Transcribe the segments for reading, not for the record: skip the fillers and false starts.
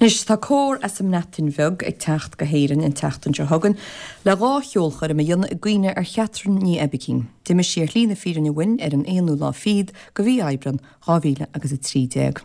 Anois, tá cór as an mBreatain Bheag ag teacht go hÉirinn an tseachtain seo chugainn le 2 cheolchoirm a dhéanamh i gcuimhne ar Chatherine Ní Oibicín. D'imigh sí ar shlí na fírinne uainn ar an aonú lá fichead de mhí Aibreán 2000 agus 13.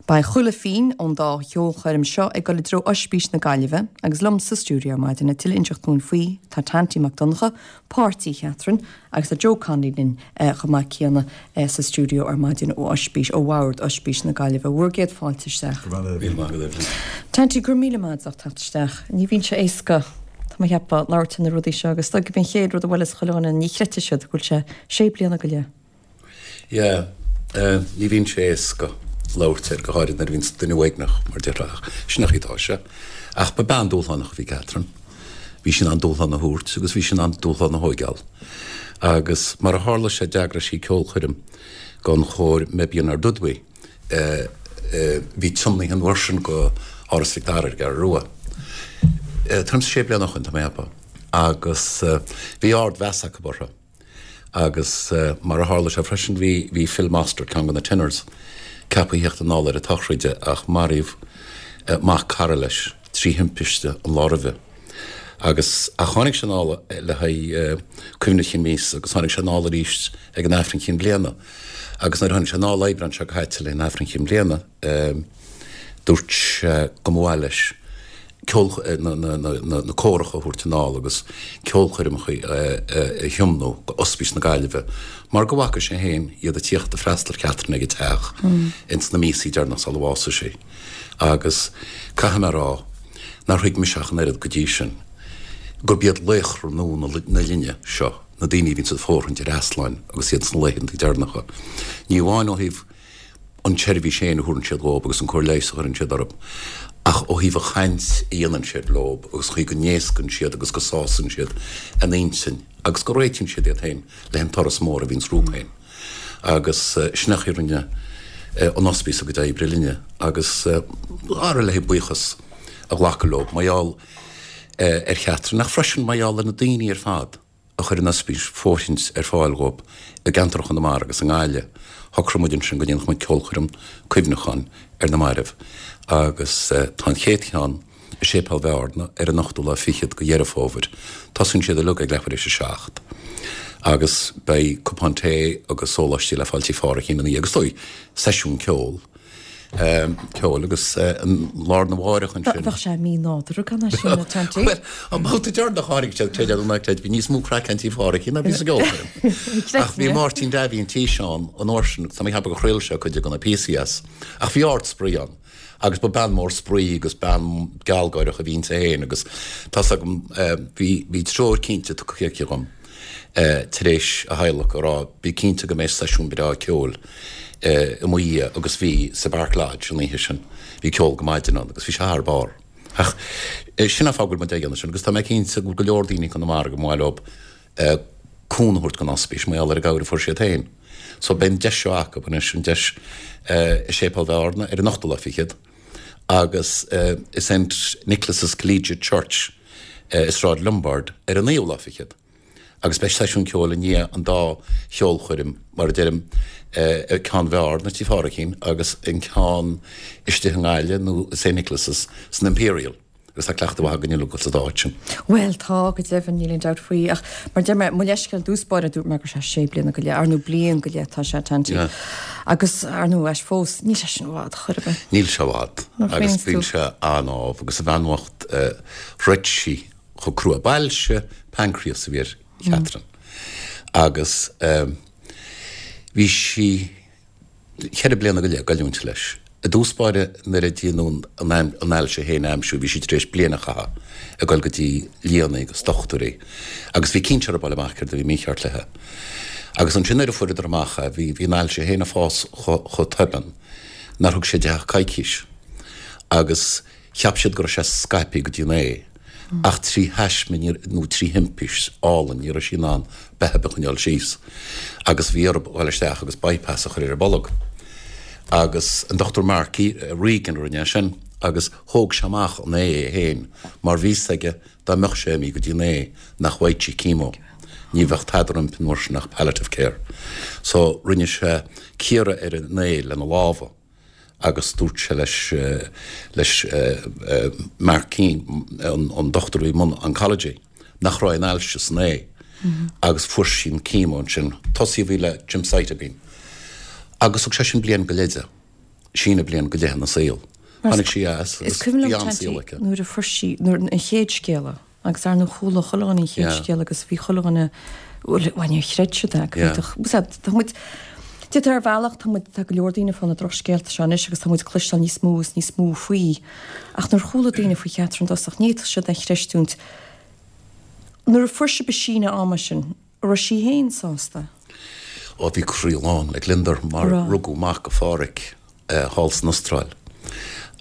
Beidh chuile phingin ón dá cheolchoirm seo ag dul i dtreo Oispís na Gaillimhe agus liom sa stiúideo ar maidin le tuilleadh a inseacht dúinn faoi tá Tanty Mac Donncha, páirtí Chatherine, agus tá Joe Connolly linn chomh maith céanna sa stiúideo ar maidin ó Oispís, ó Bhord Oispís na Gaillimhe. Bhur gcéad fáilte isteach. Go raibh míle maith agat, Eibhlín. Tanty, go raibh míle maith agat as ucht teacht isteach. Ní bhíonn sé éasca, tá mé a cheapadh, labhairt ar na rudaí seo agus gurb é an chéad rud a bhuaileas chuile dhuine, ní chreidfidh siad go bhfuil sé sé bliana go leith. Yeah, ní bhíonn sé éasca labhairt air, go háirid nuair a bhíonns duine uaigneach, mar déarfá, ach sin an chaoi atá sé. Ach ba bean dúshlánach a bhí Catherine. Bhí sí in ann dúshlán a thabhairt agus bhí sí in ann dúshlán a thóigeáil. Agus mar a tharla sé d'eagraigh sí ceolchoirm don chór Meibion Ardudwy, bhí tiomnaithe an uair sin go Áras Mhic Dara ar an gCeathrú Rua. Tuairim is sé bliana ó shin, tá mé a cheapadh. Agus bhí ard-mheas acu orthu. Agus mar a tharla sé freisin, bhí, bhí Phil Mostert, ceann de na tenors, ceaptha a theacht anall ar a tsochraide ach maraíodh mac cara leis trí thimpiste an lá roimhe. Agus, ach tháinig sé anall le haghaidh cuimhne chinn míosa agus tháinig sé anall arís ag an Aifreann Chinn Bliana. Agus nuair a tháinig sé anall Aibreán seo caite le haghaidh an Aifreann Chinn Bliana, dúirt sé go mba mhaith leis ceol, na córacha a thabhairt anall agus ceolchoirmeacha a thiomnú go Ospís na Gaillimhe mar go bhfaca sé féin iad ag tíocht ag freastal ar Chatherine ag a teach ins na míosaí deireanach sula bhásaigh sí. Agus caithfidh mé a rá nár thuig mise ach an oiread go dtí sin gurb iad laochra nua na linne seo, na daoine a bhíonns ag fóirithint ar easláin agus iad sna laethanta deireanacha. Ní amháin ó thaobh an tseirbhís féin a thabharann siad dhób agus an cóir leighis a chuireann siad orthu, ach ó thaobh an chaint a dhéanann siad leob agus an chaoi go n-éascaíonn siad agus go sásann siad a n-intinn agus go réitíonn siad iad féin le an turas mór a bhíonns rompu féin. Agus sin é an chaoi a rinne an ospís a gcuid oibre linne agus ar le buíochas a ghlacadh leob mar gheall ar Chatherine ach freisin mar gheall ar na daoine ar fad a chuir an ospís fóirithint ar fáil dhóibh i gceantar Chonamara agus i nGaillimh. Shocraigh muid ansin go ndéanfadh muid ceolchoirm cuimhneacháin ar na mairbh agus tá an chéad cheann i Séipéal Bhearna ar an ochtú lá fichead de Dheireadh Fómhair. Tosaíonn siad uilig ag leathuair éis a 7 agus beidh cupán tae agus sóláistí le fáil Tigh Phádhraic ina dhiaidh agus is dóigh seisiún ceoil. ceoil agus an lá arna mháireach ansin. Bheadh sé mí-nádúrtha gan é sin, a Tanty. Bhuel, an babhta deireanach a tháinig siad, creid é nó ná creid, bhí níos mó craic ann Tigh Phádhraic ná bhí sa gceolchoirm. Ach bhí Máirtín Davy an Taoiseach ann an uair sin agus tá mé ag ceapadh gur chraol sé cuid de na píosaí as. Ach bhí ard-spraoi ann agus ba bean mór spraoi agus bean gealgáireach a bhí inti féin agus tá's agam bhí bhí treoir cinnte tugtha aici dhom. tar éis a hadhlacadh, a rá, bí cinnte go mbeidh seisiún breá ceoil i mo dhiaidh agus bhí sa Bark Lodge an oíche sin. Bhí ceol go maidin ann agus bhí sé thar barr. Ach sin an fáth go bhfuil muid á dhéanamh sin agus tá mé cinnte go bhfuil go leor daoine i gConamara go mba mhaith leo cúnamh a thabhairt don ospís mar gheall ar an gcabhair a fuair siad féin. So beidh an deis seo acu anois, an deis i Séipéal Bhearna ar an ochtú lá fichead agus i St Nicholas' Collegiate Church i Sráid Lombard ar an naoú lá fichead agus beidh seisiún ceoil i ndiaidh an dá cheolchoirm, mar a deirim, ceann Bhearna, Tigh Phádraicín, agus an ceann istigh i nGaillimh nó i St Nicholas' san Imperial. Agus tá cleachtadh mhaith againn uilig sa dá áit sin. Bhuel, tá, go deimhin, níl aon dabht faoi. Ach mar a deir mé, mo leithscéal i dtús báire, dúirt mé go raibh sé sé bliana go leith, ar ndóigh bliain go leith atá sé, Tanty. Agus, ar ndóigh, ais fós, níl sé sin i bhfad, chor ar bith. Níl sé i bhfad. Agus bíonn sé an-ádhamh. Agus an bhean bhocht, throid sí chomh crua. B'ailse pancreas a bhí ar Chatherine. Agus bhí sí. cheithre bliana go leith ag goilliúint leis. I dtús báire nuair a déanadh an ailse féin a aimsiú bhí sí tar éis bliain a chaitheamh ag dul go dtí lianna agus dochtúirí agus bhí cinnte orthu fáil amach céard a bhí mícheart léi. Agus ansin nuair a fuaireadar amach é bhí bhí an ailse féin ag fás chomh tobann nár thug sé di ach coicís agus Cheap siad go raibh sé scaipthe go dtí an ae, ach trí thaisme nó trí thimpist álainn ní raibh sí in ann beatha ar bith a choinneáil síos agus bhí orthu dhul isteach agus bypass a chur ar an bolg. Agus an Dr Mark Regan a rinne é sin agus thóg sé amach an ae é féin mar bhí 'fhios aige dá mbeadh sé imithe go dtí an ae nach bhfaigheadh sí chemo. Ní bheadh tada roimpi an uair sin ach palliative care. So rinne sé cíoradh ar an ae lena lámha. Agus dúirt sé leis leis Mark Keane, an dochtúir i mbun oncology, nach raibh aon ailse san ae agus fuair sí an chemo ansin. Tosaíodh í le gemcitabine. Agus thug sé sin bliain go leith di. Síneadh bliain go leith ina saol. Tháinig sí as agus bhí an-saol aici. Nuair a fuair sí, nuair an chéad scéala, agus ar ndóigh chuala chuile dhuine an chéad scéala agus bhí chuile dhuine, bhuel níor chreid siad é, go bhféadfadh, tá muid, d'fhéadfá ar bhealach, tá muid, tá go leor daoine ag fáil na drochscéalta seo anois agus tá muid ag cloisteáil níos mó is níos mó faoi. Ach nuair a chuala daoine faoi Chatherine i dtosach, ní fhéadfadh siad é a chreistiúint. Nuair a fuair sibh an síneadh ama sin, An raibh sí féin sásta? Ó bhí croí lán le gliondar mar rugadh mac do Phádhraic thall san Astráil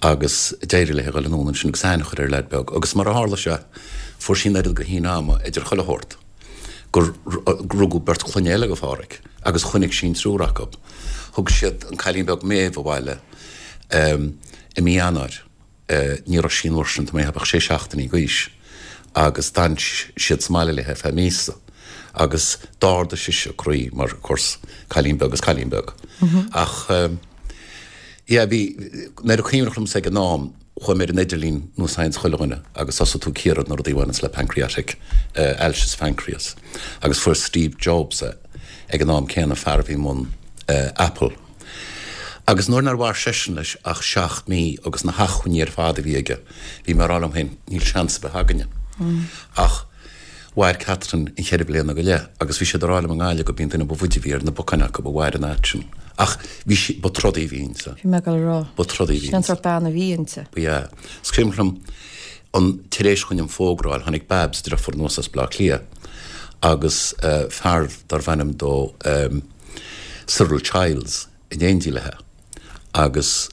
agus d'éirigh léi a dhul anonn ansin agus aithne a chur ar leaid beag agus mar a tharla sé fuair sí an oiread de shíneadh ama idir chuile shórt gur rugadh beirt clainne eile do Phádhraic agus choinnigh sí an triúr acu. Thug siad an cailín beag Méabh abhaile i mí Eanáir. Ní raibh sí an uair sin, tá mé ag ceapadh, ach sé seachtainí d'aois agus d'fhan siad sa mbaile léi ar feadh míosa agus d'ardaigh sise a croí mar, of course, cailín beag is cailín beag. Ach yeah, bhí, nuair a cuimhneach liomsa ag an am, chuaigh mé ar an idirlíon nós a dhéananns chuile dhuine agus thosaigh tú ag cíoradh na rudaí a bhaineanns le pancreatic, ailse sa phancreas agus fuair Steve Jobs é ag an am céanna, fear a bhí i mbun Apple. Agus nuair nár mhair seisean leis ach 7 mí agus na hacmhainní ar fad a bhí aige, bhí mé ag rá liom féin, níl seans ar bith againne. Ach mhair Catherine an cheithre bliana go leith agus bhí siad ag rá liom i nGaillimh gurb í an duine ba bhfaide a bhí ar na bacáin acu a mhair an fhad sin. Ach bhí sí, ba trodaí a bhí inti. Bhí mé ag dul a rá. Ba trodaí a bhí inti. Sin an sórt bean a bhí inti. Ba ea. Is cuimhin liom an, tar éis dhúinn an fógra a fháil, tháinig Babs, deirfiúr anuas as Baile Átha Cliath agus fear darbh ainm dó, Cyril Childs in éindí léi agus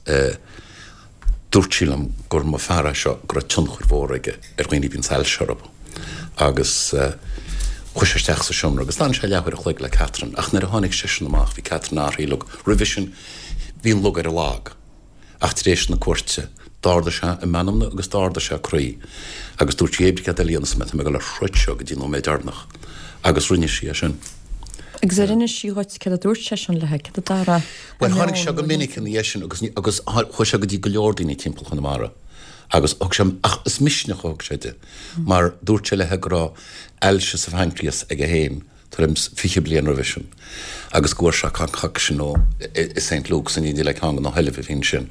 dúirt sí liom gur mba fear é seo go raibh tionchar mhór aige ar dhaoine a bhíonns ailse orthu agus chuaigh sé isteach sa seomra agus d'fhan sé leathuair a chloig le Catherine ach nuair a tháinig seisean amach bhí Catherine athraithe uilig. Roimhe sin bhí an lug ar a lag. Ach tar éis na cuairte, d'ardaigh sé a meanmna agus d'ardaigh sé a croí, agus dúirt sí, Pé ar bith céard eile a dhéanfas mé, tá mé ag dul a throid seo go dtí an nóiméad deireanach. Agus rinne sí é sin. Agus ar inis sí dhuit céard a dúirt seisean léi, céard a d'athraigh a Bhuel, tháinig sé go minic ina dhiaidh sin agus, agus chuaigh sé go dtí go leor daoine timpeall Chonamara agus thug sé, ach is misneach a thug sé di, mar dúirt sé léi go raibh ailse sa phaincréas aige féin tuairim 's 20 bliain roimhe sin agus go bhfuair sé concoction ó i St. Luke's in éindí le ceann de na hollaimh a bhí ansin.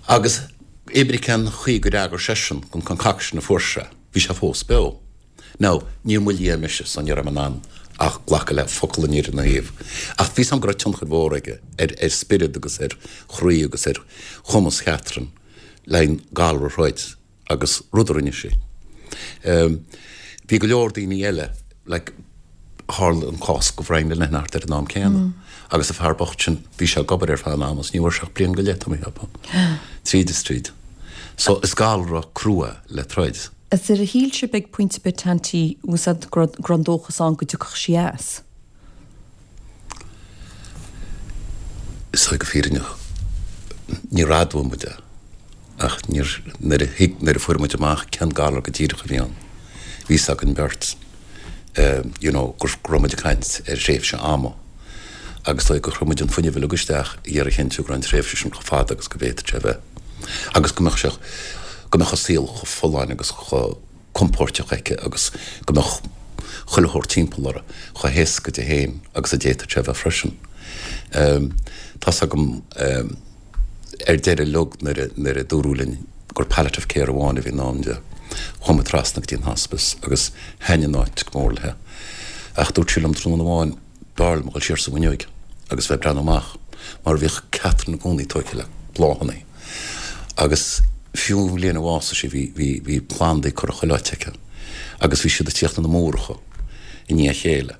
Agus pé ar bith cén chaoi gur fhreagair seisean don concoction a fuair sé, bhí sé fós beo. Now, níor mo lia mise so ní raibh mé in ann ach glacadh le focal an fhir ina thaobh. Ach bhí 's agam go raibh tionchar mhór aige ar ar spiorad agus ar chroí agus ar chumas Chatherine le an galar a throid. agus rud a rinne sí. Bhí go leor daoine eile, like, tharla an cás do Bhrian Linehan thart ar an am céanna agus an fear bocht sin, bhí sé ag obair ar feadh an ama is ní bhfuair sé ach bliain go leith, tá mé ag ceapadh. Tríd is tríd. So is galra crua le troid. Is ar shíl sibh ag pointe ar bith Tanty, bhfuil 's a'd, go raibh an dóchas ann go dtiocfadh sí as? Is dóigh go fírinneach, níor admhaigh muid é, ach níor, nuair a thuig, nuair a fuair muid amach cén galar go díreach a bhí ann, bhí 'fhios againn beirt, you know, go raibh muid ag caint ar thréimhse ama agus is dóigh gur chuir muid an fuinneamh uilig isteach ag iarraidh a chinntiú go raibh an tréimhse sin chomh fada agus go bhféadfadh sé a bheith agus go mbeadh sé, go mbeadh a saol chomh folláin agus chomh. compóirteach aici agus go mbeadh chuile shórt timpeall uirthi chomh héasca di féin agus a d'fhéadfadh sé a bheith freisin. Tá's agam ar deireadh uilig nuair a nuair a dúradh linn gur palliative care amháin a bhí i ndán di, chuaigh muid trasna go dtí an hospice agus thaitin an áit go mór léi. Ach dúirt sí liom tráthnóna amháin, b'fhearr liom a dhul siar sa bhfuinneoig agus bheith ag breathnú amach mar bhíodh Catherine i gcónaí tógtha le bláthanna agus fiú an bhliain a bhásaigh sí bhí, bhí, bhí plandaí curtha chuile áit aici agus bhí siad ag tíocht ina múracha i ndiaidh a chéile.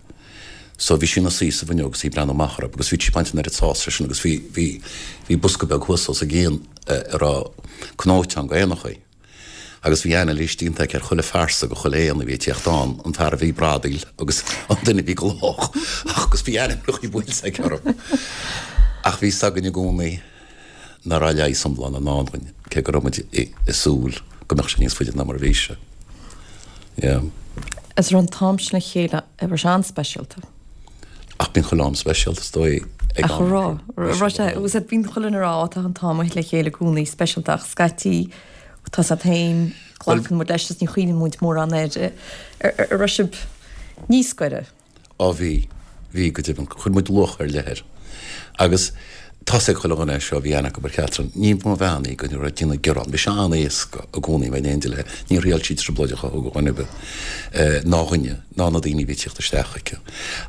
So bhí sí ina suí sa bhfuinneog agus í ag breathnú amach orthu agus bhí sí ag baint an oiread sásamh as sin agus bhí, bhí, bhí bosca beag thuas os a gcionn a raibh cnóiteán go éanachaí. Agus bhí anailís déanta aici ar chuile phearsa go chuile éan a bhí ag tíocht ann, an fear a bhí ag bradaíl agus an duine a bhí ag lách agus bhí ainmneacha buailte aici orthu. Ach bhí 'fhios againn i gcónaí nach raibh leigheas iomlán i ndán dhúinn, cé go raibh muid ag súil go mbeadh sé níos faide ná mar a bhí sé. Yeah. Is raibh an t-am sin le chéile, raibh sé an-speisialta. Ach bíonn chuile am speisialta, is dóigh. Ag Ach am an raibh, Bhí raibh sé, go agus bíonn chuile dhuine ag rá, tá an t-am le chéile i gcónaí speisialta ach scaití tá 's agat féin, glacann muid leis is ní chuimhníonn muid mórán air. An raibh sibh níos gaire? Á bhí, bhí go deimhin. Chuir muid luach ar leith air. Agus tá's ag chuile dhuine é seo, bhí aithne acu ar Chatherine. Ní ba bhean í go raibh ag déanamh gearán. Bhí sé an-éasca i gcónaí a bheith in éindí léi. Níor thriail sí trioblóid a chothú do dhuine ar bith, ná dhuine, ná na daoine a bhí ag tíocht isteach chuici.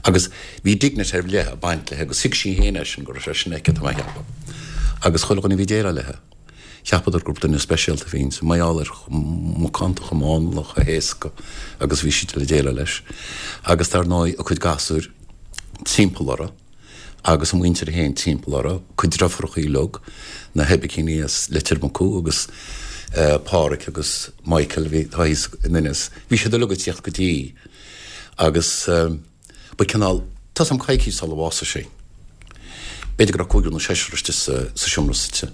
Agus bhí dignity ar leith ag baint léi agus thuig sí féin é sin, go raibh sé sin aici, tá mé a cheapadh. Agus chuile dhuine a bhí ag déileáil léi. Cheapadar gur duine speisialta a bhí inti, mar gheall ar chomh macánta, chomh mánla, chomh héasca agus a bhí sí le déileáil leis. Agus dar ndóigh, a cuid gasúir timpeall uirthi agus a muintir féin timpeall uirthi, cuid deirfiúrachaí uilig, na hOibicíní as Leitir Mucú agus Páraic agus Michael a bhí, atá thíos in Inis, bhí siad uilig ag tíocht go dtí agus. Ba cineál, tá's a'm coicís sula bhásaigh sí. B'fhéidir go raibh cúigear nó seisear istigh sa seomra suite.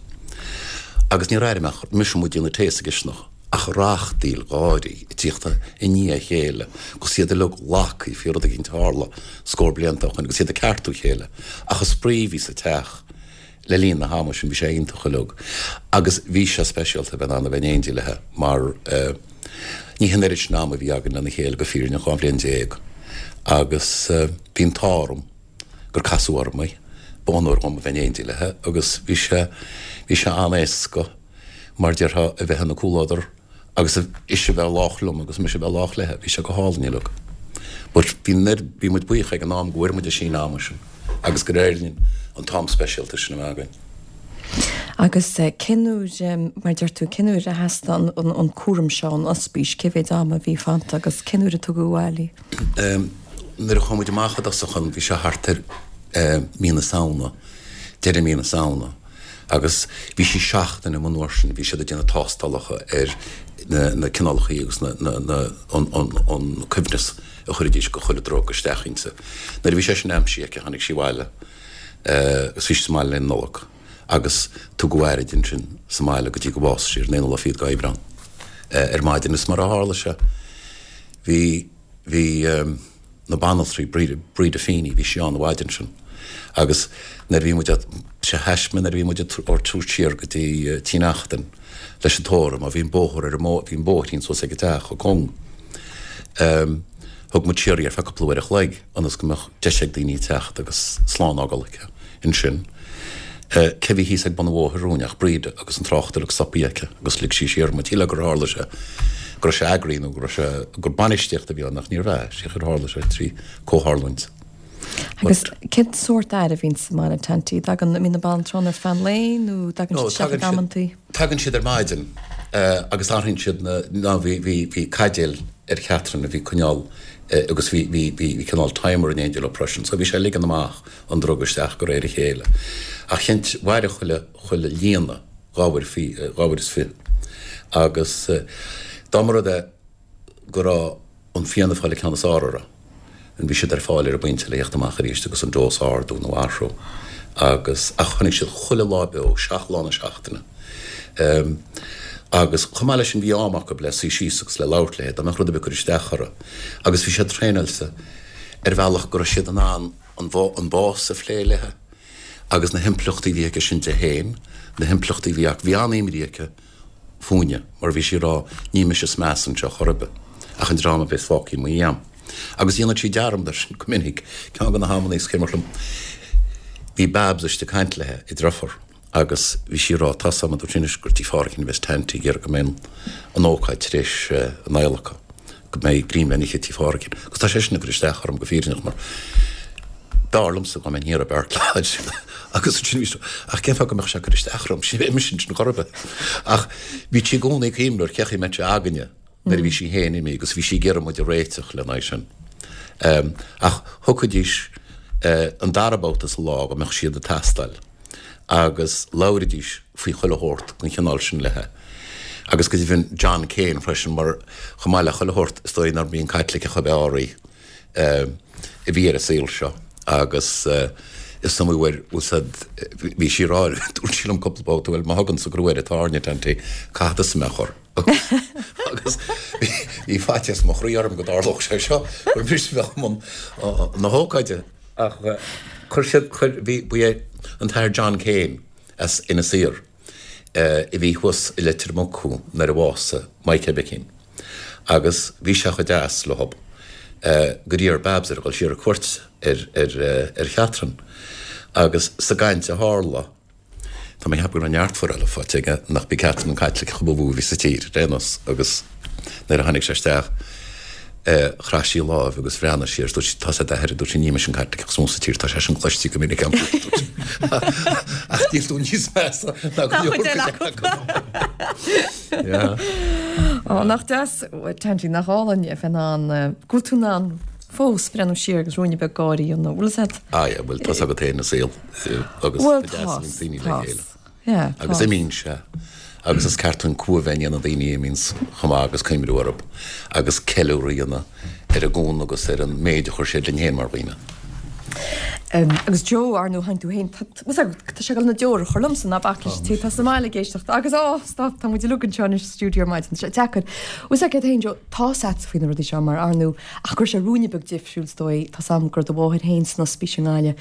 Agus níor airigh mé ach mise amuigh ag déanamh tae sa gcisteanach ach rachtaíl gáirí ag tíocht i ndiaidh a chéile agus iad uilig lagtha faoi rud eicínt a tharla scór blianta ó shoin agus iad ag ceartú a chéile ach an spraoi a bhí sa teach Le linn na hama sin bhí sé iontach uilig agus bhí sé speisialta a bheith in ann a bheith in éindí léi mar ní hin oiread sin ama a bhí againn lena chéile go fírinneach, 12 bhliain agus bhí an t-ádh orm gur casadh orm í, b'onóir dhom a bheith in éindí léi agus bhí sé, bhí sé an-éasca mar déarfá a bheith ina comhluadar. agus ise a bheith lách liom agus mise a bheith lách léithe, bhí sé go hálainn uilig. But bhí an oiread, bhí muid buíoch ag an am go bhfuair muid an síneadh ama sin agus gur éirigh linn an t-am speisialta sin a bheith againn. Agus cén uair, mar a deir tú, cén uair a theastaigh an cúram seo ón ospís, cé mhéid ama a bhí fanta agus cén uair a tugadh abhaile í? Nuair a chuaigh muid amach i dtosach ann bhí sé thart ar mí na Samhna, deireadh mí na Samhna. Agus bhí sí seachtain amuigh an uair sin, bhí siad ag déanamh tástálacha ar na cineálacha agus an coibhneas a chuiridís de chuile drug isteach inti. Nuair a bhí sé sin aimsithe aici tháinig sí abhaile agus bhí sí sa mbaile le Nollaig agus tugadh aire di ansin sa mbaile go dtí go bhásaigh sí ar an aonú lá fichead d'Aibreán ar maidin. Is mar a tharla sé bhí, bhí. na banaltraí, Breda Feeney, bhí sí ann an mhaidin sin agus nuair a bhí muid á, sé thaisme nuair a bhí muid á tabhairt siar go dtí Tigh Neachtain leis an tórramh mar bhí an bóthar ar an mbó, bhí an bóithrín suas ag an teach chomh cúng. Thug muid siar í ar feadh cúpla uair a chloig ionas go mbeadh deis ag daoine teacht agus slán a fhágáil aici ansin. Cé bhí thíos ag bun an bhóthair romhainn ach Breda agus an trácht uilig stoptha aici agus lig sí siar muid. Shílfeá gur tharla sé go raibh sé eagraithe nó go raibh sé, gur bainistíocht a bhí ann ach níorbh ea, sé gur tharla sé trí comhtharlúint. Agus cén sórt aire a bhíonn sa mbaile, Tanty? Tagann, an mbíonn na banaltraí ann ar feadh an lae nó dtagann siad isteach ag amantaí? Tagann siad ar maidin agus athraíonn siad na, ná bhí, bhí, bhí caidéal ar Chatherine a bhí coinneáil agus bhí, bhí, bhí cineál timer in éindí leo freisin so bhí sé ag ligean amach an druga isteach de réir a chéile. Ach cheint, mhaireadh chuile, chuile líonadh dha uair, dha uair is fiche. Agus dá mba rud é go raibh an Fianna Fáil an ceann is fhearr orthu, bhí siad ar fáil ar an bpointe le theacht amach arís agus an dose a ardú nó a athrú. Agus, ach tháinig siad chuile lá beo, seacht lá na seachtaine. Agus chomh maith leis sin bhí am acu le suí síos agus le labhairt léi, dá mbeadh rud ar bith ag cur isteach orthu. Agus bhí siad traenáilte ar bhealach go raibh siad in ann an bás a phlé léi agus na himpleachtaí a bhí aige sin di féin, na himpleachtaí a bhí acu. Bhí an-imní aici fúinne mar bhí sí ag rá ní mise is measa anseo chor ar bith ach an dream a bheas fágtha i mo dhiaidh. Agus dhéanadh sí dearmad air sin go minic. Ceann de na hamannaí is cuimhneach liom bhí Babs istigh ag caint léi, a deirfiúr. Agus bhí sí ag rá, tá's agam, a dúirt sí anois, gur tigh Phádraigín a bheas Tanty ag iarraidh go mbeidh an ócáid tar éis an adhlactha, go mbeidh greim le n-ithe tigh Phádraigín. Agus tá sé sin ag cur isteach orm go fírinneach mar b'fhearr liomsa dá mbeinn thiar i Beart Lodge agus ansin bhí sí, ach cén fáth go mbeadh sé ag cur isteach orm, ní bheidh mise ansin chor ar bith. Ach bhí sí i gcónaí ag cuimhneamh ar cé chaoi a mbeadh sé againne nuair a bhí sí féin imithe agus bhí sí ag iarraidh muid a réiteach lena aghaidh sin. Ach thiocfaidís an dara babhta sa lá go mbeadh siad ag teastáil agus labhraídís faoi chuile shórt den chineál sin léi. Agus go deimhin John Kane freisin mar chomh maith le chuile shórt is dóigh nár bhí an Caitliceach ab fhearr í a bhí ar an saol seo agus is iomaí uair bhfuil said bhí sí ag rá dúirt sí liom cúpla babhta bhuel má thugann sa gcrú air an tairne Tanty caithfidh tusa mé a chur. Agus bhí faitíos mo chroí orm go dtarlódh sé seo, gur mise a bheadh i mbun na hócáide. Ach chuir siad, chuir, bhí, ba é an tAthair John Kane as Inis Oírr a bhí thuas i Leitir Mucú nuair a bhásaigh Mike Oibicín agus bhí sé chomh deas leob gur iarr Babs air a dhul siar ar cuairt ar, ar, ar Chatherine agus sa gcaint a tharla, Tá mé ag ceapadh go raibh neart forála faighte aige nach b'í Catherine an Caitliceach ba mhó a bhí sa tír ar aon nós agus nuair a tháinig sé isteach chraith sí a láimh agus bhreathnaigh sí air is dúirt sí tá's a'd a athair a dúirt sí ní mise an Caitliceach is mó sa tír tá sé sin cloiste go minic agam ach níl tú níos measa ná go leor cuid acu. Yeah. Ó nach deas Tanty nach álainn a bheith in ann go bhfuil tú in ann fós breathnú siar agus ruainne beag gáire a dhéanamh. Bhfuil fhios a'd? Ah yeah, bhuel tá's agat féin an saol agus Bhuel ba deas tá, a bhíonn daoine le tá, chéile. yeah, Agus tá. imíonn sé agus is ceart dúinn cumha a bheith i ndiaidh na daoine a imíonns chomh maith agus cuimhniú orthu agus ceiliúradh a dhéanamh ar a gcúnamh agus ar an méid a chuir siad linn féin mar dhaoine. Agus Joe, ar ndóigh, tháinig tú féin, tá tá sé ag dul na deora a chur liomsa, ná bac leis an té atá sa mbaile ag éisteacht agus á, stop, tá muid uilig anseo anois sa stiúideo ar maidin, tá sé deacair. Bhfuil fhios agat féin, Joe, tá's a'dsa faoi na rudaí seo mar ar ndóigh, Ach go raibh sé ruainne beag difriúil is dóigh, tá's a'm go raibh do mháthair féin san ospís i nGaillimh.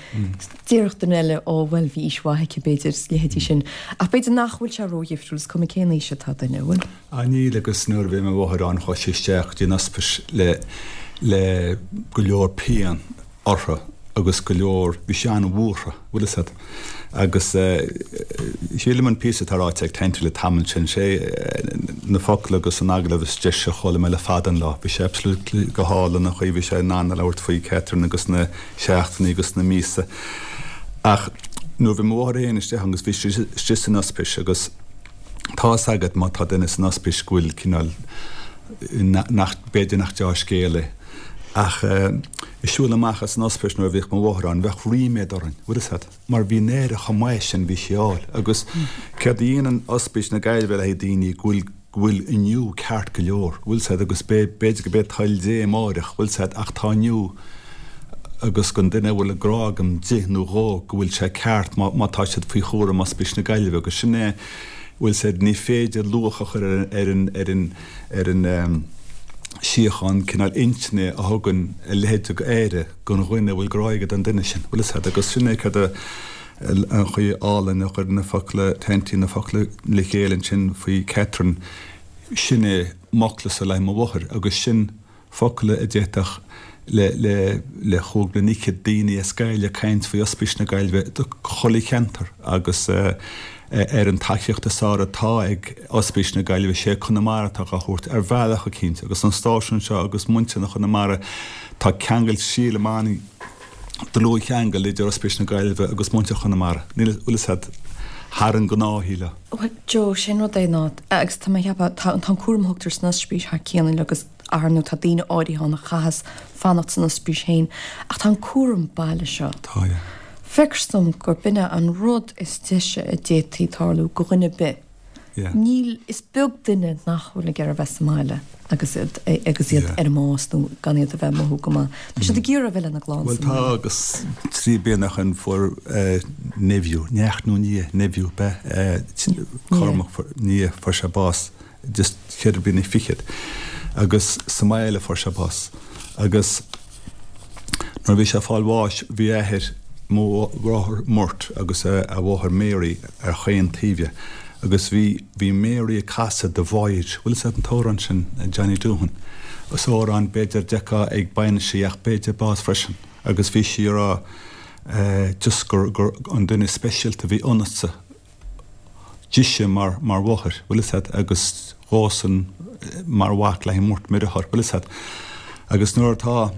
Déarfadh duine eile, ó bhuel bhí aois mhaith aici b'fhéidir, is leithéidí sin. Ach b'fhéidir nach bhfuil sé ródhifriúil, is cuma cén aois atá duine, an bhfuil? Ah níl agus nuair a bhí mo mháthair ann chuaigh sí isteach go dtí an ospís le le go leor pian. uirthi agus go leor, bhí sí an-bhuartha, bhfuil fhios agat. Agus sílim an píosa atá ráite ag Tanty le tamall sin, sé na focail agus an agallamh is deise a chuala mé le fada an lá. Bhí sé absolutely go hálainn an chaoi bhí sé in ann a labhairt faoi Catherine agus na seachtainí agus na míosa. Ach nuair a bhí mo mháthair féin istigh agus bhí sí istigh san ospís agus tá fhios agat má tá duine san ospís go bhfuil cineál nach, b'fhéidir nach deá-scéal é. Ach ag siúl amach as an ospís nuair a bhíodh mo mháthair ann, bheadh ríméad orainn, bhfuil fhios agat, mar bhí an aire chomh maith sin bhí sí a fháil. Agus céard a dhéanann Ospís na Gaillimhe le haghaidh daoine go bhfuil, go bhfuil inniu ceart go leor, bhfuil fhios agat, agus b'fhéidir go b'é toil Dé amáireach, bhfuil fhios agat, ach tá inniu agus don duine a bhfuil grá agam di nó dhó go bhfuil sé ceart má, má tá siad faoi chúram Ospís na Gaillimhe agus sin é, bhfuil fhios agat, ní féidir luach a chur ar an, ar an, ar an síocháin cineál intinne a thugann a leithéid de aire don dhuine a bhfuil grá aige don duine sin. Bhfuil fhios agat? Agus sin é céard a an chaoi álainn a chuir na focla Tanty na focla le chéile ansin faoi Catherine, sin é m'fhoclasa le haghaidh mo mháthair agus sin focla a d'fhéadfadh le le le chúig bliana fhichead daoine as Gaillimh caint faoi Ospís na Gaillimhe do chuile cheantar agus ar an tacaíocht is fearr atá ag Ospís na Gaillimhe sé Conamara atá dhá thabhairt ar bhealach eicínt agus an stáisiún seo agus muintir na Chonamara tá ceangal sílim an dlúthcheangal idir Ospís na Gaillimhe agus muintir Chonamara níl bhfuil fhios agat thar an ngnáthshaol. Bhuel Joe sin rud é ná agus tá mé ag ceapadh tá an cúram a thugtar san ospís thar cionn agus ar ndóigh tá daoine áirithe ann a chaitheas fanacht san ospís féin, ach tá an cúram baile seo. Tá, yeah. Feictear dom gur b'in é an rud is deise a d'fhéadfaí tarlú go dhuine ar bith. Yeah. Níl, is beag duine nach bhfuil ag iarraidh a bheith sa mbaile agus iad, agus iad Yeah. ar an mbás nó gan iad a bheith ag mothú go maith. Tá siad ag iarraidh a bheith lena gclann Bhuel sa tá mbaile. agus trí bliana ó shin fuair eh, nephew, neacht nó nia, nephew, b'ea, eh, Cormac, fuair, nia, fuair sé bás. just cheithre bliana fichead agus sa mbaile a fuair sé bás agus nuair a bhí sé ag fáil bháis bhí a athair, mo mháthair Murt agus a mháthair Mary ar chaon taobh dhe agus bhí, bhí Mary ag casadh The Voyage, bhfuil fhios agat an t-amhrán sin Johnny Doohan, is amhrán b'fhéidir d'fheicfeá ag bainisí ach b'fhéidir bás freisin agus bhí sí ag rá just gur, gur an duine speisialta a bhí ionatsa dise mar mar mháthair, bhfuil fhios agat, agus dhósan mar mhac le Murt, mo dheartháir, bhfuil fhios agat. Agus nuair atá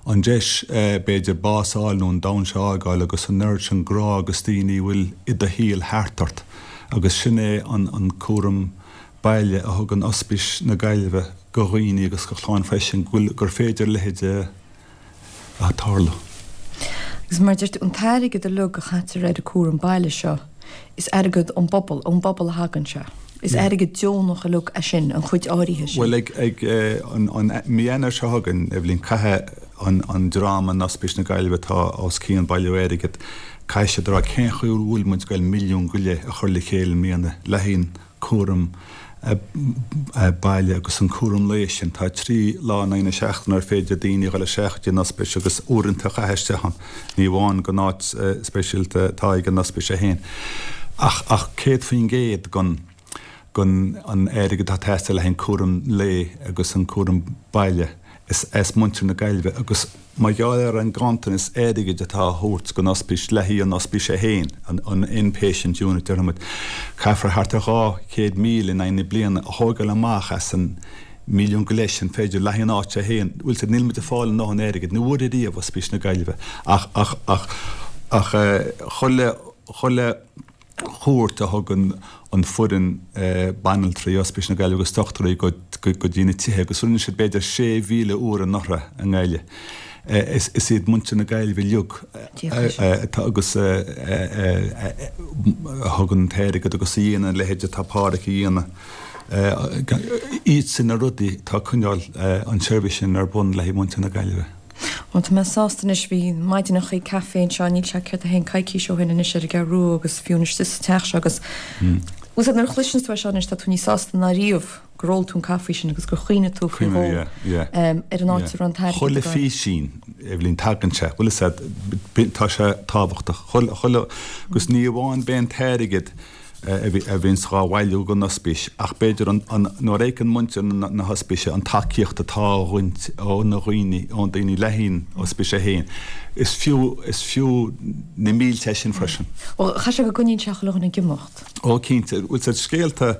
an deis b'fhéidir bás a fháil nó an domhan seo a fhágáil agus an oiread sin grá agus daoine a bhfuil i do shaol thart ort agus sin é an an cúram baile a thugann Ospís na Gaillimhe go dhaoine agus go chlann freisin go bhfuil gur féidir a leithéid a a tarlú. Agus mar a deir tú, an t-airgead uilig a chaitear ar an cúram baile seo, is airgead ón bpobal, ón bpobal a thagann sé. Is airgead deonach uilig é sin, an chuid áirithe sin. Bhuel, ag, ag an, an, mí Eanáir seo chugainn, Eibhlín, caithfidh an, an dream in Ospís na Gaillimhe atá os cionn bailiú airgid, caithfidh siad a rá cén chaoi a bhfuil muid ag goil milliún go leith a chur le chéile i mbliana le haghaidh an cúram. baile agus an cúram lae sin. Tá 3 lá in aghaidh na seachtaine ar féidir daoine a dhul isteach go dtí an ospís agus uaireanta a chaitheamh isteach ann. Ní amháin gon áit speisialta atá ag an ospís é féin ach ach 100% gon gon an airgead atá ag teastáil le haghaidh an cúram lae agus an cúram baile is as muintir na Gaillimhe agus Mar gheall ar an ganntanas airgid atá á thabhairt don ospís le haghaidh an ospís é féin, an in-patient unit déarfaidh muid, caithfear thart ar 200,000 in aghaidh na bliana a thógáil amach as an mílliún go leith sin b'fhéidir le haghaidh an áit é féin. Bhfuil 's a'd, níl muid ag fáil a ndóthain airgid, ní bhfuair ariamh Ospís na Gaillimhe ach ach ach ach chuile chuile chuairt a thugann an foireann banaltraí Ospís na Gaillimhe agus dochtúirí go dtí na tithe agus rinne siad b'fhéidir 6,000 uair anuraidh i nGaillimh. Is iad muintir na Gaillimhe uilig atá agus a thugann an t-airgead agus a dhéanann a leithéid atá Páraic a dhéanamh. Iad sin na rudaí atá ag coinneáil an tseirbhís sin ar bun le haghaidh muintir na Gaillimhe. Bhuel, tá mé sásta anois. Bhí maidineachaí caife anseo, níl sé céard é féin coicís ó shin anois ar an gCeathrú Rua agus fiú anois sa teach seo agus bhfuil 's a'd nuair a chloiseanns tú é seo anois tá tú níos sásta ná riamh gur ól tú an caife sin agus gur chuimhnigh tú faoi dhó ar an áit a raibh an t-airgead Chuile phísín, Eibhlín, tagann sé, bhfuil 'fhios a'd, tá sé tábhachtach. Chuile, chuile, agus ní amháin b'é an t-airgead, a bhíonns dhá bhailiú don ospís ach b'fhéidir an nuair a fheiceann muintir na hospíse an tacaíocht atá á bhaint ó na dhaoine, ó na daoine le haghaidh an ospís é féin, is fiú, is fiú na mílte é sin freisin. Bhuel, chaithfidh sé go gcoinníonn sé chuile dhuine ag imeacht. Ó cinnte, bhfuil 's a'd scéalta,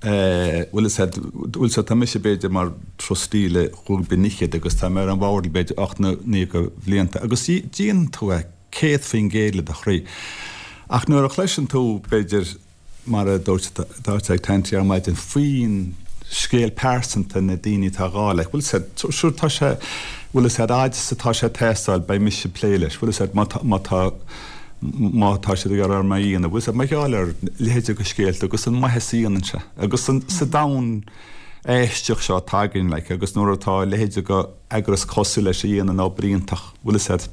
bhfuil 'fhios a'd, bhfuil 's a'd, tá mise b'fhéidir mar trustee le chúig bliana fhichead agus tá mé ar an bhord b'fhéidir 8 nó 9 de bhlianta agus déanann tú é. 100% le do chroí. Ach nuair a chloiseann tú, b'fhéidir, mar a dúirt atá ag caint ar maidin, faoin scéal pearsanta na daoine atá dhá like, bhfuil 'fhios a'd, sure tá sé, bhfuil 'fhios a'd, fhad is atá sé ag teastáil, beidh mise ag plé leis, bhfuil 'fhios a'd, má tá, má tá, má tá siad ag iarraidh orm é a dhéanamh, bhfuil 'fhios a'd, mar gheall ar leithéid de scéalta agus an maitheas a dhéanann sé agus an, sa domhan aisteach seo atá againn, like, agus nuair atá a leithéid de eagras cosúil leis a dhéanann obair iontach, bhfuil 'fhios a'd,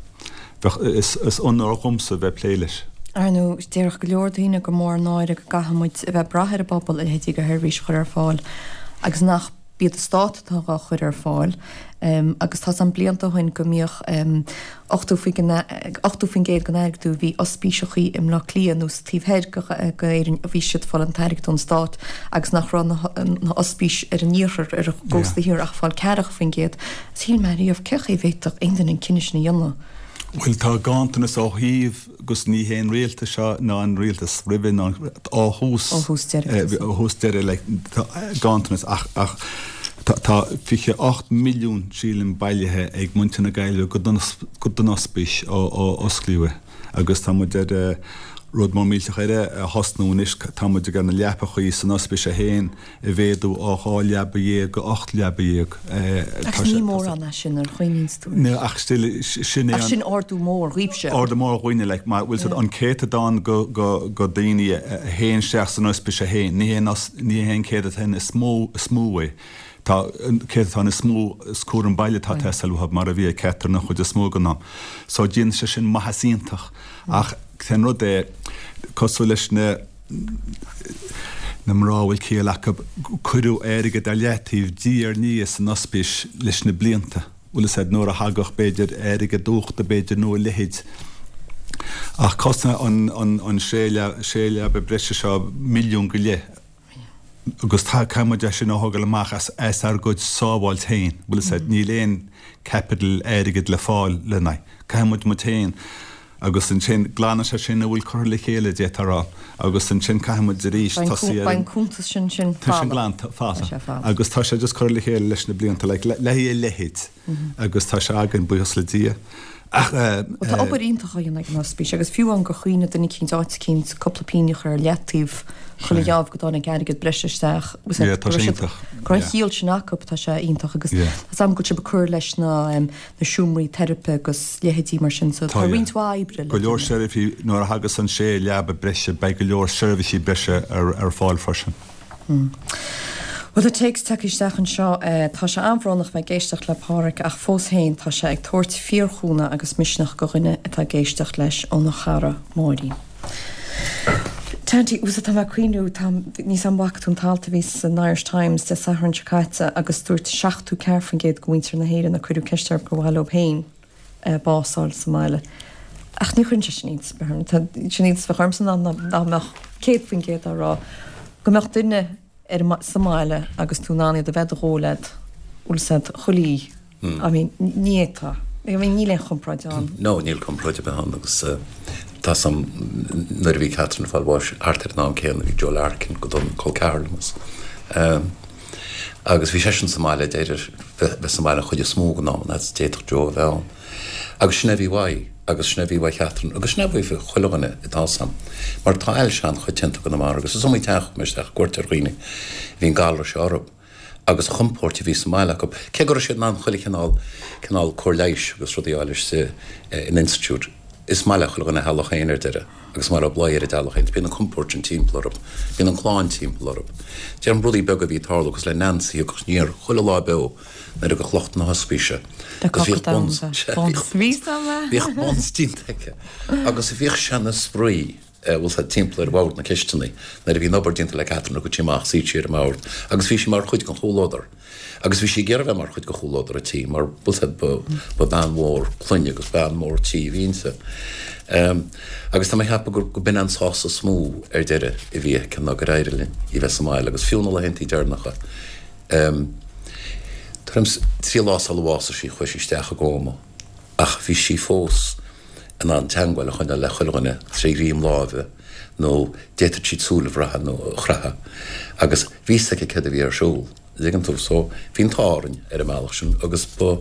bheadh, is, is onóir dhomsa bheith ag plé leis. Ar ndóigh, déarfadh go leor daoine gur mór an náire go gcaithfidh muid a bheith ag brath ar an bpobal a leithéidí de sheirbhís a chur ar fáil agus nach iad an stát atá dhá chur ar fáil. Agus tá's a'm blianta ó shin go mbíodh 80% den airgead a bhí ospíseachaí i mBleá Cliath nó sa taobh thoir d'Éirinn bhí siad ag fáil an t-airgead ón stát agus nach raibh na hospís ar an iarthar, ar an gcósta thiar ach ag fáil 40%. Shíl mé riamh cén chaoi a bhféadfadh aon duine an cinneadh sin a dhéanamh. Bhuel tá ganntanas ó thaobh agus ní hé an rialtas seo ná an rialtas roimhe ná ó thús Ó thús deireadh. ó thús deireadh like tá ganntanas ach ach tá tá 28 milliún sílim bailithe ag muintir na Gaillimhe go don go don ospís ó ó osclaíodh é agus tá muid ar rud mór millteach eile a thosnú anois tá muid ag ar na leapachaí san ospís é féin a mhéadú ó 12 leaba go 18 leaba. Ach ní mórán é sin nuair a chuimhníonns tú air. Ach still, sin é an. Ach sin ardú mór dhaoibhse. Ardú mór dhúinne, like, mar, bhfuil 's a'd, an céatadán go, go, go daoine a théann isteach san ospís é féin, ní hé an, ní hé an céatadán is mó, is mó é. Tá an céatadán is mó, is cúram baile atá ag teastáil uathu, mar a bhí ag Catherine an chuid is mó den am. So déanann sé sin maitheas iontach. Ach cén rud é, cosúil leis na, na mná a bhfuil ciall acu, cuireadh airgead ar leataobh diaidh ar ndiaidh san ospís leis na blianta, bhfuil 'fhios a'd, nuair a thagadh b'fhéidir airgead uchta b'fhéidir nó a leithéid. Ach cosnaíonn an sé leaba breise seo milliún go leith agus caithfidh muid é sin a thógáil amach as ár gcuid sábháilt féin, bhfuil 'fhios a'd, níl aon capital airgead le fáil lena aghaidh. Caithfidh muid muid féin Agus ansin, glanann sé sin a bhfuil curtha le chéile, d'fhéadfá a rá. Agus ansin caithfidh muid arís tosaí ar an. Beidh an cuntas sin sin fada. Tá sin glanta, fada. Tá sé fada. Agus tá sé just curtha le chéile leis na blianta, like, le haghaidh a leithéid. Agus tá sé againn, buíochas le Dia. Ach. Bhuel, tá obair iontach á dhéanamh ag an ospís agus fiú amháin gur chuimhnigh duine eicínt áit eicínt cúpla pingin a chur ar leataobh chuile gheábh go dtáinig airgead breise isteach. Yeah, tá sé iontach. Go raibh an chiall sin acu, tá sé iontach agus tá 's agam go bhfuil sibh ag cur leis na na seomraí teiripe agus leithéidí mar sin so tá roinnt mhaith oibre le Go leor seirbhísí, nuair a thagas an sé leaba breise beidh go leor seirbhísí breise ar fáil freisin. Bhuel tá téacs tagtha isteach anseo, tá sé an-bhrónach bheith ag éisteacht le Páraic ach fós féin tá sé ag tabhairt fíorchúnamh agus misneach go dhuine atá ag éisteacht leis óna chara Máirín. Tanty, Bhuel tá mé ag cuimhniú, tá, níl 's a'm an bhfaca tú an t-alt a bhí san Irish Times Dé Sathairn seo caite agus dúirt 74% de mhuintir na hÉireann a cuireadh ceist orthu gur mhaith leo féin bás a fháil sa mbaile. Ach ní chuireann sé sin iontas ar bith orm. Tá, sin iontas a bheadh ormsa ná dá mbeadh 100% á rá go mbeadh duine ar an, sa mbaile agus tú in ann iad a bheith do dhó leat, bhfuil 's a'd, chuile oíche. I mean, ní fhéadfá. I mean, níl aon chomparáid ann. No, níl comparáid ar bith ann agus tá 's a'm nuair a bhí Catherine ag fáil bháis thart ar an am céanna bhí Joe Larkin go dona, col ceathar liom as. Agus bhí seisean sa mbaile deireadh bheith sa mbaile an chuid is mó den am an fhad is d'fhéadfadh Joe a bheith ann. Agus sin é a bhí uaidh agus sin é a bhí uaidh Catherine agus sin é a bhí uaidh chuile dhuine atá 's a'm. Mar tá ailse an-choitianta i gConamara agus is iomaí teach a chuaigh mé isteach ag cuairt ar dhaoine a bhí an galar seo orthu. agus an chompóirt a bhí sa mbaile acu, cé go raibh siad in ann chuile chineál cineál cóir leighis agus rudaí a fháil istigh in institiúid. Is maith le chuile dhuine a theaghlach féin ar deireadh agus is maith leo luí ar a dteaghlach féin. Bíonn an compóirt sin timpeall orthu, bíonn an clann timpeall orthu. Déarfainn rudaí beaga a bhí ag tarlú cosúil le Nancy a thiocfadh aniar chuile lá beo nuair a thiocfadh lucht na hospíse agus bhíodh buns, bhíodh buns déanta aici agus bhíodh sé ina spraoi. bhfuil 's a'd, timpeall ar bhord na cisteanaí. Nuair a bhí an obair déanta le Catherine thiocfadh sí amach, suíodh sí ar an mbord agus bhí sí mar chuid den chomhluadar. Agus bhí sí ag iarraidh bheith mar chuid de chomhluadar an tí mar, bhfuil 's a'd, ba, ba bean mhór clainne agus bean mhór tí a bhí inti. Agus tá mé ag ceapadh gur, go b'in an sásamh is mó ar deireadh a bhí aici ná gur éirigh linn í bheith sa mbaile agus fiú na laethantaí deireanacha, tuairim 's 3 lá sular bhásaigh sí chuaigh sí isteach i gcóma ach bhí sí fós, in ann teangmháil a choinneáil le chuile dhuine tré ghreim láimhe nó d'fhéadfadh sí súil a bhrath nó a chroitheadh agus bhí 'fhios aici céard a bhí ar siúl, an dtuigeann tú. So bhí an t-ádh orainn ar an mbealach sin agus ba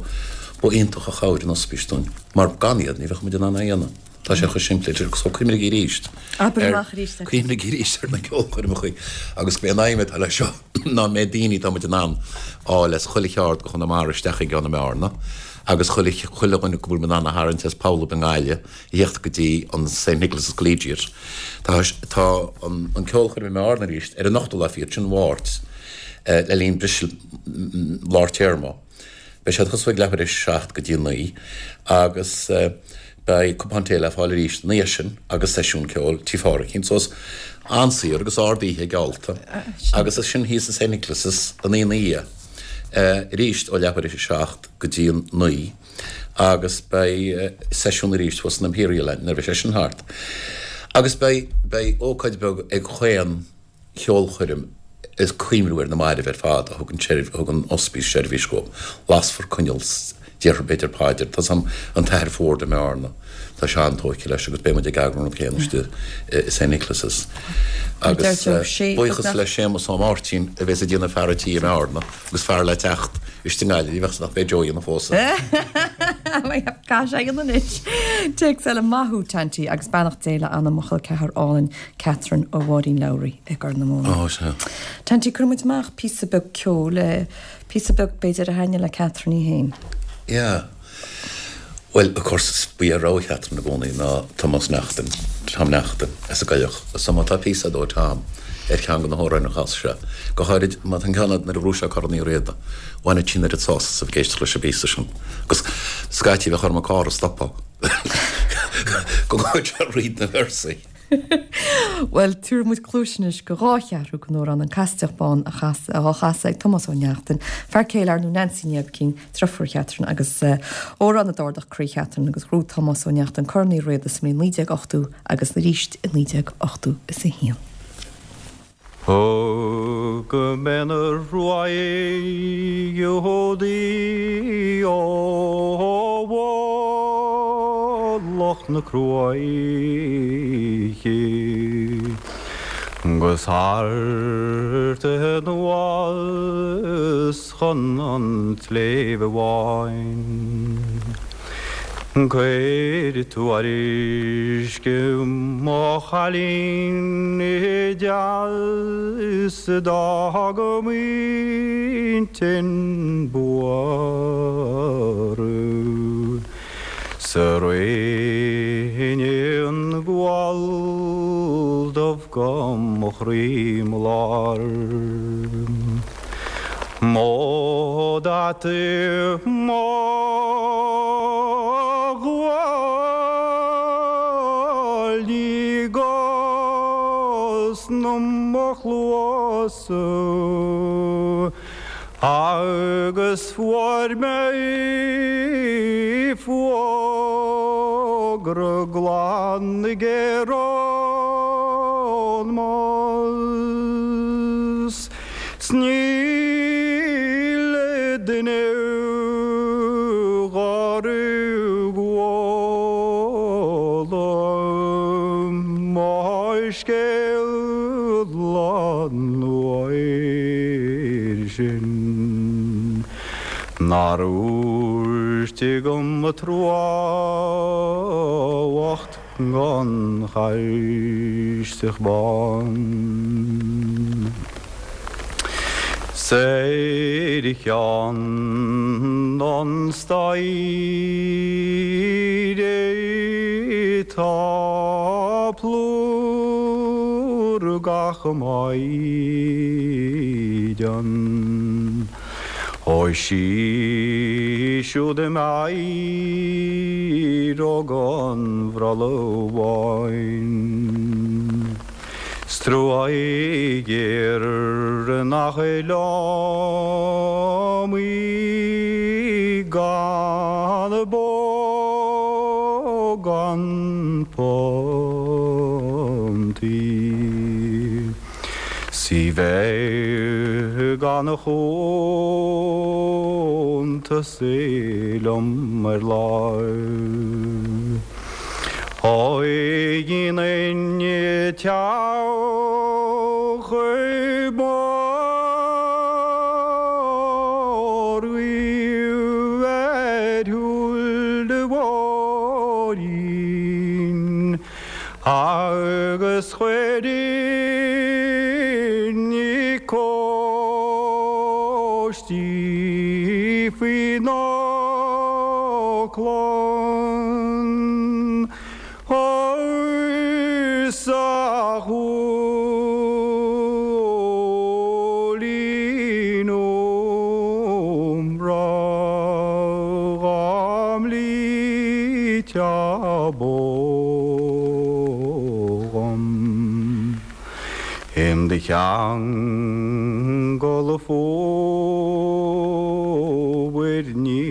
ba iontach an chabhair an ospís dúinn mar gan iad ní bheadh muid in ann é a dhéanamh. Tá sé chomh simplí so cuimhnigí arís Abair amach arís é. Cuimhnigí arís ar na ceolchoirmeacha agus b'é an aidhm atá leis seo ná an méid daoine atá muid in ann fháil as chuile cheard de Chonamara isteach i gceann na mBearna. agus chuile chuile dhuine go bhfuil muid in ann a tharraingt as pollaibh i nGaillimh a theacht go dtí an St Nicholas' Collegiate. Tá tá an an ceolchoirm i mBearna arís ar an ochtú lá fichead, sin Mháirt, le linn briseadh lár téarma. Beidh sé ag tosú ag leathuair théis a 7 go dtí a 9 agus beidh cupán tae le fáil arís ina dhiaidh sin agus seisiún ceoil Tí Phádraigín. So is an-saor agus ard-oíche geallta agus as sin thíos i St Nicholas' an oíche ina dhiaidh arís ó leathuair théis a 7 go dtí an 9 agus beidh seisiún arís thuas san Imperial nuair a bheidh sé sin thart. Agus beidh, beidh ócáid bheag ag chaon cheolchoirm ag cuimhniú ar na mairbh ar fad a thug an a thug an ospís seirbhís dhóibh. Lasfar coinneal 's déarfar b'fhéidir paidir. Tá 's a'm an tAthair Ford i mBearna, tá sé an-tógtha leis agus beidh muid ag eagrú an rud céanna istigh i St Nicholas's. Agus buíochas le Séamus Ó Máirtín a bheas ag déanamh fear an tí i mBearna. Agus fear le teacht istigh i nGaillimh, ní bheadh nach mbeidh Joe a dhéanamh fós. Caithfidh sé a dhéanamh anois. Téacs eile, Maith thú, Tanty, agus beannacht Dé le anam mo chol ceathar álainn, Catherine ó Mháirín Lowry i gCorr na Móna. Ó, sea. Tanty, cuirfidh muid amach píosa beag ceoil, píosa beag b'fhéidir a thaitnigh le Catherine í féin. Yeah. Bhuel, of course, ba é rogha Chatherine i gcónaí ná Tomás Neachtain, Tom Neachtain, as an gCoilleach. So má tá píosa ó Tom ar cheann de na hamhráin a chas sé, go háirid má tá an ceann nuair a bhuaigh sé Corn Uí Riada, bhaineadh sí an oiread sásamh as a bheith ag éisteacht leis an bpíosa sin. Agus scaití bheadh orm an carr a stopadh go ngabhadh sé thríd na véarsaí. Bhuel, tabharfaidh muid cluais anois go dá cheathrú den amhrán An Caisideach Bán a chas, á chasadh ag Tomás Ó Neachtain, fear céile ar ndóigh Nancy Ní Oibicín, driofúr Chatherine, agus amhrán a d'ardaigh croí Chatherine agus ghnóthaigh Tomás Ó Neachtain Corn Uí Riada sa mbliain 1980 agus arís i 1981. Ó go mbeidh na ruaig Iúdaí ó mhullach na cruaiche 'gus thart anuas chun an tSléibhe Bháin. Cuir tuairisc mo chailín deas d'fhág m'intinn buartha 's a rinne an gual dubh go mo chroí 'mo lár. Mo dheataí mo ghuaillí go Bhásadh agus fuair mé fógra glan ag ar an mbás 's níl duine dhár chuala mo scéal an uair sin nár úirt agam trua bhocht gon Chaiseach Bán. 'S ar cheann an staighre tá plúr gach maighdean. Ó 's í siúd im éireodh an bhrollaigh bháin. 'S trua géar nach liom í gan bó gan punt í. 'S í bheith gan chuntas liom ar láimh. Dheininn teach mór ar shiúl an bhóithrín agus chuirfinn cóistí faoina clann 's a Chóilín óg breá dhá mblíteá bó dhom. Im do cheangal fómhair ní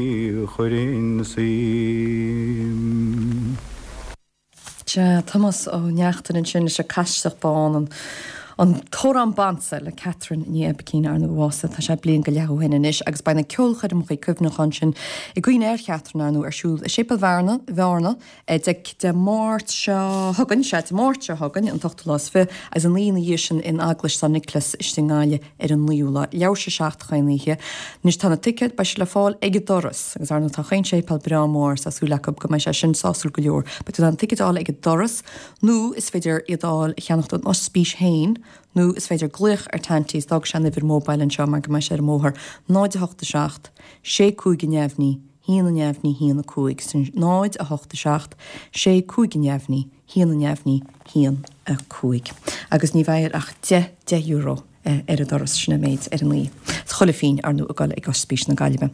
chuirfinn suim. Sea, Tomás Ó Neachtain ansin leis an Caiseach Bán, an an t-amhrán b'ansa le Catherine Ní Oibicín, ar ndóigh a bhásaigh, tá sé bliain go leith ó shin anois, agus beidh na ceolchoirmeacha cuimhneacháin sin i gcuimhne ar Chatherine, ar ndóigh, ar siúl i Séipéal Bhearna, Bhearna, Dé Máirt seo chugainn, sea, Dé Máirt seo chugainn, an t-ochtú lá is fiche, agus an oíche ina dhiaidh sin in Eaglais San Nioclás istigh i nGaillimh ar an naoú lá. Leathuair tar éis a 7 chaon oíche. Anois tá na ticéid, beidh siad le fáil ag an doras, agus ar ndóigh tá chaon séipéal breá mór, is tá súil acu go mbeidh sé sin sásúil go leor. Beidh tú in ann ticéid a fháil ag an doras, nó is féidir iad a fháil, a cheannacht ón ospís féin, nó is féidir glaoch ar Tanty, is d'fhág sé an uimhir móibíl anseo mar go mbeidh sé ar an mbóthar, 0 8 7 6 5 neamhní, 1 neamhní 1 5, sin 0 8 7 6 5 neamhní 1 neamhní 1 5. Agus ní bheidh air ach deich, €10 ar an doras, sin an méid ar an oíche. Is chuile phingin, ar ndóigh, ag dul ag Ospís na Gaillimhe.